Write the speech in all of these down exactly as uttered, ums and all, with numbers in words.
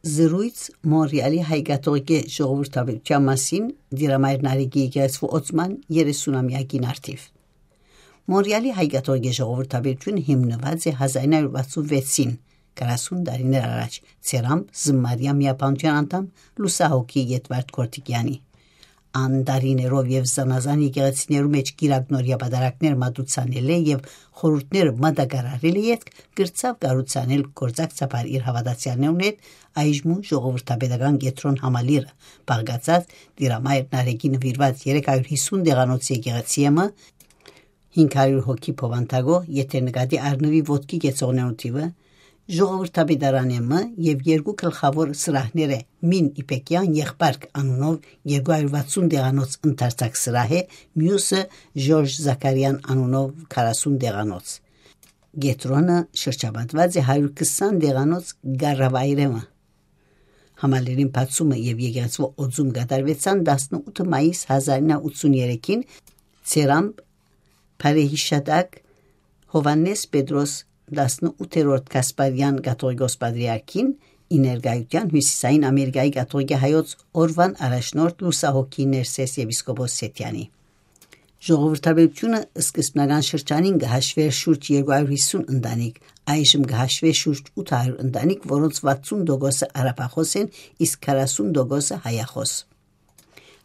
Զրոյց Մոնրեալի հայ կաթողիկէ ժողովրդավարության մասին Տիրամայր Նարեկի եկեղեցու օծման երեսունամեակին առթիվ։ Մոնրեալի հայ կաթողիկէ ժողովրդավարությունը հիմնուած է հազար ինը հարյուր վաթսուն վեցին, քառասուն տարիներ առաջ, ծերամբ Զմարիա միաբանութեան անդամ Լուսահոգի Ետվարդ Գորտիկեանի։ Ան տարիներով եւ զանազան եկեղեցիներու մէջ կիրակնորիա պատարագներ մատուցանել է եւ խորհուրդներ մատակարարել է ետք, կրցաւ կառուցանել գործակցաբար իր հաւատացեալներուն հետ, այժմու ժողովրդապետական կեդրոն համալիրը, բաղկացած Տիրամայր Նարեկի նուիրուած երեք հարիւր հիսուն տեղանոց եկեղեցի մը, հինգ հարիւր հոգի բովանդակող, եթէ նկատի առնուի ոտքի կեցողներու թիւը, ժողովրդապետարանէ մը եւ երկու գլխաւոր սրահները՝ Մին Իպեկեան Եղբարք անունով երկու հարիւր վաթսուն տեղանոց ընդարձակ սրահ է, միւսը՝ Ժորժ Զաքարեան անունով քառասուն տեղանոց։ Կեդրոնը շրջապատուած է հարիւր քսան տեղանոց կառավայրէ մը։ Համալիրին բացումը եւ եկեղեցու օծում կատարուեցան տասնութ մայիս հազար ինը հարիւր ութսուն երեքին, ծերամբ բարեհիշատակ Յովհաննէս Պետրոս տասնութերորդ Գասպարեան կաթողիկոս պատրիարքին, ի ներկայութեան Հիւսիսային Ամերիկայի կաթողիկէ հայոց օրուան առաջնորդ Լուսահոգի Ներսէս եպիսկոպոս Սեթեանի։ Ժողովրդավարությունը սկզբնական շրջանին կը հաշուէր շուրջ երկու հարիւր հիսուն ընտանիք, այժմ կը հաշուէ շուրջ ութ հարիւր ընտանիք, որոնց վաթսուն տոկոսը արաբախոս են, իսկ քառասուն տոկոսը՝ հայախոս։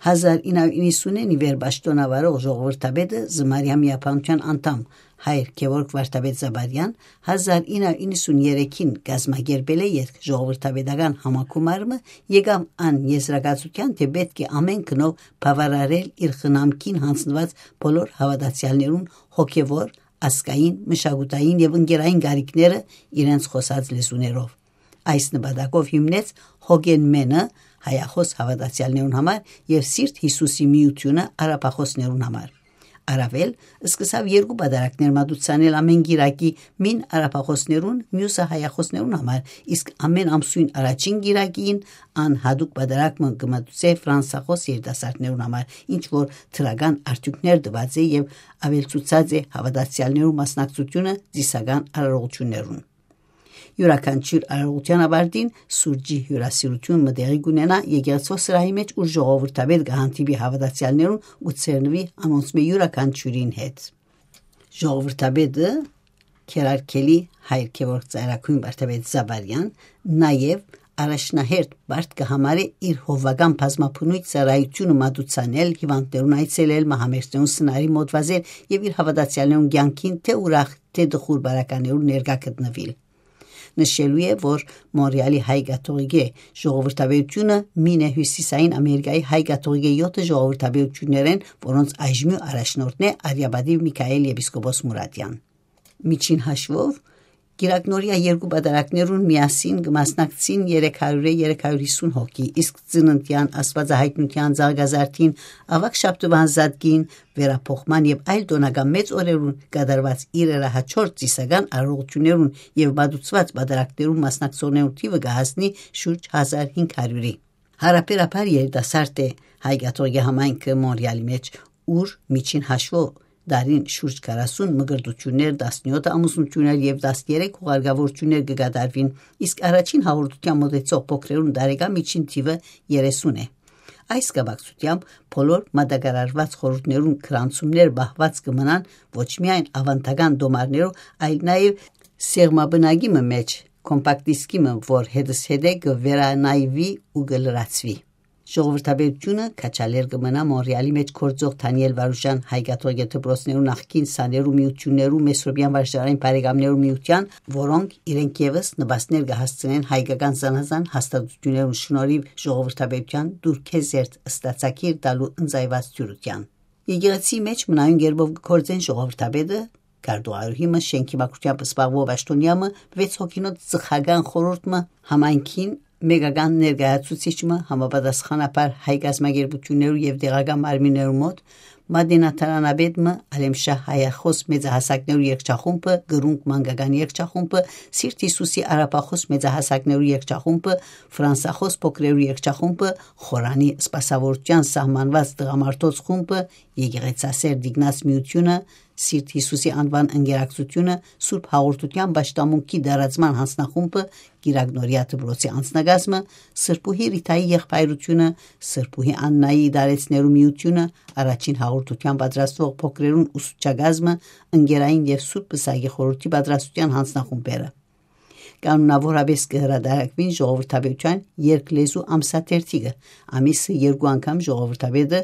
Հազար ինը հարիւր իննսունին ի վեր պաշտօնավարող ժողովրդապետը, Զմարեան միաբանութեան անդամ հայր Գեորգ Վարդապետ Զաբարեան, հազար ինը հարիւր իննսուն երեքին կազմակերպելէ ետք ժողովրդապետական համագումար մը, եկաւ ան եզրակացութեան, թէ պէտք է ամէն գնով բաւարարել իր խնամքին յանձնուած բոլոր հաւատացեալներուն հոգեւոր, ազգային, մշակութային եւ ընկերային կարիքները իրենց խօսած լեզուներով։ Այս նպատակով հիմնեց Հոգեն Մենը հայախոս հաւատացեալներուն համար եւ Սիրտ Յիսուսի միութիւնը արաբախոսներուն համար։ Առաւել, սկսաւ երկու պատարագներ մատուցանել ամէն կիրակի, մին արաբախոսներուն, միւսը՝ հայախոսներուն համար, իսկ ամէն ամսոյն առաջին կիրակին ան յատուկ պատարագ մը կը մատուցէ ֆրանսախոս երիտասարդներուն համար, ինչ որ դրական արդիւնքներ տուած է եւ աւելցուցած է հաւատացեալներու մասնակցութիւնը ծիսական արարողութիւններուն։ Իւրաքանչիւր արարողութեան աւարտին սուրճի հիւրասիրութիւն մը տեղի կ'ունենայ եկեղեցւոյ սրահի մէջ, ուր ժողովրդապետ կը հանդիպի հաւատացեալներուն ու ցերնուի անոնցմէ իւրաքանչիւրին հետ։ Ժողովրդապետը, քերարքելի հայր Գեորգ Ծայրագոյն Վարդապետ Զաբարեան, նաեւ առաջնահերթ պարտք կը համարէ իր հովուական բազմաբնոյթ ծառայութիւնը մատուցանել, հիւանդներուն այցելել, մահամերձներուն սնարի մոտ վազել եւ իր հաւատացեալներուն կեանքին թէ ուրախ, թէ տխուր բարականերուն ներկայ գտնուիլ։ Նշելու է, որ Մոնրեալի հայ կաթողիկէ ժողովրդավարությունը մին է Հիւսիսային Ամերիկայի հայ կաթողիկէ եօթը ժողովրդավարութիւններէն, որոնց այժմի առաջնորդն է արիապատիւ Միքայել եպիսկոպոս Մուրատեան։ Միջին հաշուով, կիրակնորիա երկու պատարագներուն միասին կը մասնակցին երեք հարիւրէ երեք հարիւր հիսուն հոգի, իսկ ծննդեան, աստուածահայտնութեան, զարգազարդին, աւագ շաբթուան զատկին, վերափոխման եւ այլ տօնական մեծ օրերուն կատարուած իրերահաջորդ ծիսական արարողութիւններուն եւ մատուցուած պատարագներուն մասնակցողներուն թիւը կը հասնի շուրջ հազար հինգ հարիւրի։ Յարաբերաբար երիտասարդ է հայ կաթողիկէ համայնքը Մոնրեալի մէջ, ուր միջին հաշուով տարին շուրջ քառասուն մկրտութիւններ, տասնեօթ ամուսնութիւններ եւ տասներեք հուղարկաւորութիւններ կը կատարուին, իսկ առաջին հաղորդութեան մօտեցող փոքրերուն տարեկան միջին թիւը երեսուն է։ Այս կապակցութեամբ բոլոր մատակարարուած խորհուրդներուն գրանցումներ պահուած կը մնան ոչ միայն աւանդական տոմարներով, այլ նաեւ սեղմաբնակի մը մէջ, կոմպակտ դիսկի մը, որ հետզհետէ կը վերանայուի ու կը լրացուի։ Ժողովրդապետութիւնը քաջալեր կը մնայ Մոնրեալի մէջ գործող Դանիել Վարուժան հայ կաթողիկէ դպրոցներու նախկին սաներու միութիւններու Մեսրոպեան վարժարանային բարեկամներու միութեան, որոնք իրենք եւս նպաստներ կը հասցնեն հայկական զանազան հաստատութիւններուն շնորհիւ ժողովրդապետութեան դուրքեզերծ ստացագիր տալու ընծայված դիւրութեան։ Եկեղեցիի մէջ մնայուն կերպով կը գործեն ժողովրդապետը, քարտուղարուհի մը, շէնքի մաքրութեամբ զբաղուող պաշտօնեայ մը, վեց հոգինոց ծխական խորհուրդ մը, համայնքին մեկական ներկայացուցիչ մը, համապատասխանաբար հայ կազմակերպութիւններու եւ տեղական մարմիններու մօտ, մատենադարանապետ մը, Ալեմշահ հայախոս մեծահասակներու երգչախումբը, Կրունկ մանկական երգչախումբը, Սիրտ Յիսուսի արաբախոս մեծահասակներու երգչախումբը, ֆրանսախոս փոքրերու երգչախումբը, Խորանի սպասաւորութեան սահմանուած տղամարդոց խումբը, եկեղեցասեր Տիկնաց միութիւնը, Սիրտ Յիսուսի անուան ընկերակցութիւնը, Սուրբ Հաղորդութեան պաշտամունքի տարածման յանձնախումբը, Կիրակնորեայ դպրոցի անձնակազմը, Սրբուհի Ռիթայի եղբայրութիւնը, Սրբուհի Աննայի դարեցներու միութիւնը, Առաջին Հաղորդութեան պատրաստուող փոքրերուն ուսուցչակազմը, ընկերային եւ Սուրբ Պսակի խորհուրդի պատրաստութեան յանձնախումբերը։ Կանոնաւորապէս կը հրատարակուին ժողովրդապետութեան երկլեզու ամսաթերթիկը, ամիսը երկու անգամ ժողովրդապետը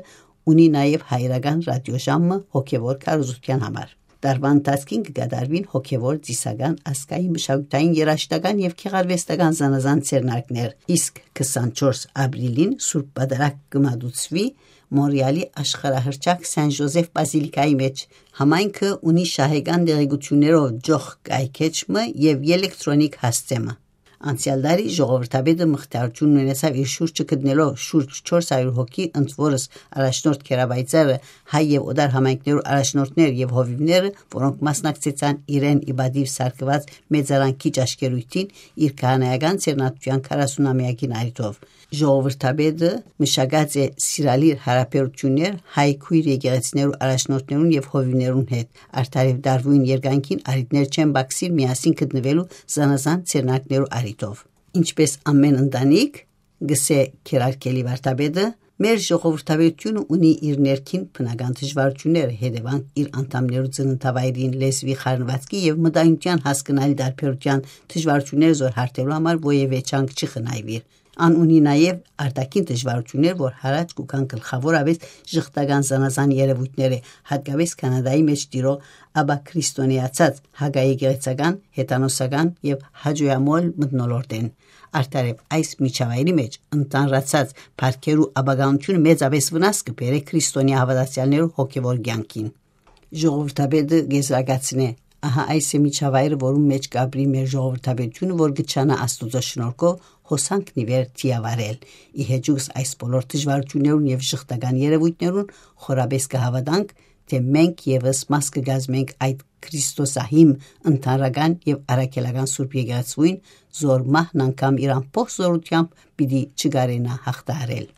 ունի նաեւ հայրական ռատիօժամը հոգեւոր քարոզութեան համար։ Տարուան ընթացքին կը կատարուին հոգեւոր, ծիսական, ազգային, մշակութային, երաժշտական եւ գեղարուեստական զանազան ձեռնարկներ, իսկ քսանչորս ապրիլին Սուրբ Պատարագ կը մատուցուի Մոնրեալի աշխարհահռչակ Սեն Ժոզեֆ Պազիլիկայի մէջ։ Համայնքը ունի շահեկան տեղեկութիւններով ջոխ կայքէջ մը եւ ելեկտրոնիկ հասցէ մը։ Անցեալ տարի ժողովրդապետը մխիթարութիւն ունեցաւ իր շուրջը գտնելով շուրջ չորս հարիւր հոգի, ընդ որս առաջնորդ Քերապայծառը, հայ եւ օտար համայնքներու առաջնորդներ եւ հովիւները, որոնք մասնակցեցան իրեն ի պատիւ սարքուած մեծարան քիչ աշկերույթին իր քահանայական ձեռնատուութեան քառասունամեակին առիթով։ Ժողովրդապետը մշակած է սիրալիր յարաբերութիւններ հայ քոյր եկեղեցիներու առաջնորդներուն եւ հովիւներուն հետ, արդարեւ դարուին երկայնքին առիթներ չեն բացիր միասին գտնուելու զանազան ձեռնարկներու առիթով։ Ինչպես ամեն ընտանիք, գսէ Քերարքելի վարդապետը, մեր ժողովրդապետութիւնը ունի իր ներքին բնական դժվարութիւնները, հետեւանք իր անդամներու ծննդավայրին, լեզուի խառնուածքի եւ մտայնութեան հասկնալի տարբերութեան դժվարութիւնները զօր հարթելու համար որեւէ չանք չի խնայուիր։ Ան ունի նաեւ արտաքին դժվարութիւններ, որ հարաճ կու գան գլխաւորապէս ժխտական զանազան երեւոյթները, հատկապէս Քանադայի մէջ տիրող, ապա քրիստոնեացած, հակաեկեղեցական, հեթանոսական եւ հաճոյամոլ մթնոլորտէն։ Արդարեւ այս միջավայրի մէջ ընդանրացած փառքերու ապականութիւնը մեծապէս վնաս կը բերէ քրիստոնեայ հաւատացեալներու հոգեւոր կեանքին։ Ժողովրդապետը կեզրակացնէ. «Ահա այս է միջավայրը, որուն մէջ կ'ապրի մեր ժողովրդապետութիւնը, որ կը չանայ Աստուծոյ շնորհքով հոսանքն ի վեր դիավարել։ Ի հեճուկս այս բոլոր դժվարութիւններուն եւ ժխտական երեւոյթներուն խորապէս կը հաւատանք, թէ մենք եւս մաս կը կազմենք այդ քրիստոսահիմ, ընդհանրական եւ առաքելական Սուրբ Եկեղեցւոյն, զոր մահն անգամ իր ամբողջ զօրութեամբ պիտի չկարենայ յաղթահարել»։